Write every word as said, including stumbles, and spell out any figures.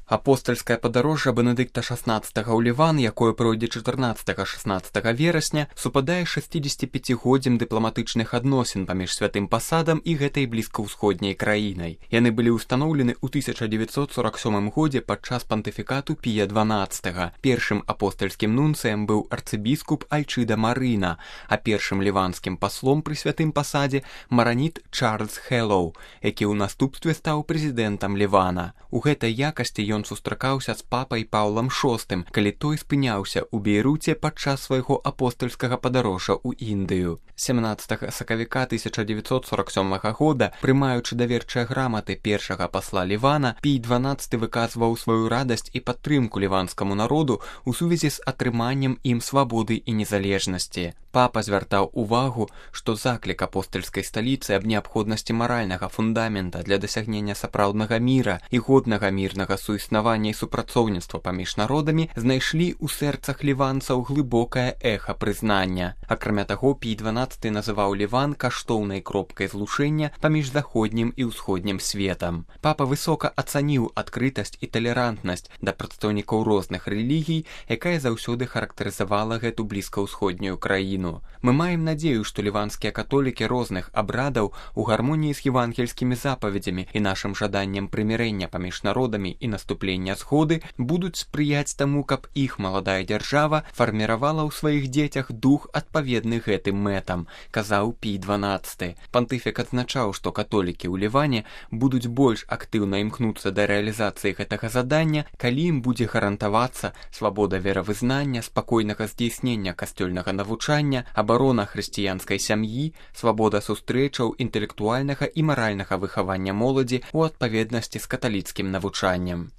Апостальскае падарожжа Бенедыкта шаснаццатага ў Ліван, якое пройдзе чатырнаццатага-шаснаццатага верасня, супадае з шэсцідзесяціпяцігоддзем дыпламатычных адносін паміж святым пасадам і гэтай блізкаўсходняй краінай. Яны былі ўстаноўлены ў тысяча дзевяцьсот сорак сёмым годзе падчас пантыфікату Пія дванаццатага. Першым апостальскім нунцыем быў арцыбіскуп Альчыда Марына, а першым ліванскім паслом пры святым пасадзе мараніт Чарльз Хэллоу, які ў наступстве стаў прэзідэнтам Лівана. У гэтай якасці ён сустракаўся з папай Паўлам шостым, калі той спыняўся ў Бейруце падчас свайго апостальскага падарожжа ў Індыю. сямнаццатага сакавіка тысяча дзевяцьсот сорак сёмага года, прымаючы даверчыя граматы першага пасла Лівана, Пій дванаццаты выказваў сваю радасць і падтрымку ліванскаму народу ў сувязі з атрыманнем ім свабоды і незалежнасці. Папа звяртаў увагу, што заклік апостальскай сталіцы аб неабходнасці маральнага фундамента для дасягнення сапраўднага міра і годнага мірнага суіснавання і супрацоўніцтва паміж народамі знайшлі ў сэрцах ліванцаў глыбокае эха прызнання. Акрамя таго, Пій дванаццаты называў Ліван каштоўнай кропкай злучэння паміж заходнім і ўсходнім светам. Папа высока ацаніў адкрытасць і талерантнасць да прадстаўнікоў розных рэлігій, якая заўсёды характарызавала гэту блізкаўсходнюю краіну. Мы маем надзею, што ліванскія католікі розных абрадаў у гармоніі з евангельскімі запаведзямі і нашым жаданнем прымірэння паміж народамі і наступлення згоды будуць спрыяць таму, каб іх маладая дзяржава фарміравала ў сваіх дзецях дух адпаведны гэтым мэтам, казаў Пій дванаццаты. Пантыфік адзначаў, што католікі ў Ліване будуць больш актыўна імкнуцца да рэалізацыі гэтага задання, калі ім будзе гарантавацца свабода веравызнання, спакойнага здзейснення касцёльнага навучання, абарона хрысціянскай сям'і, свабода сустрэчаў, інтэлектуальнага і маральнага выхавання моладзі ў адпаведнасці з каталіцкім навучаннем.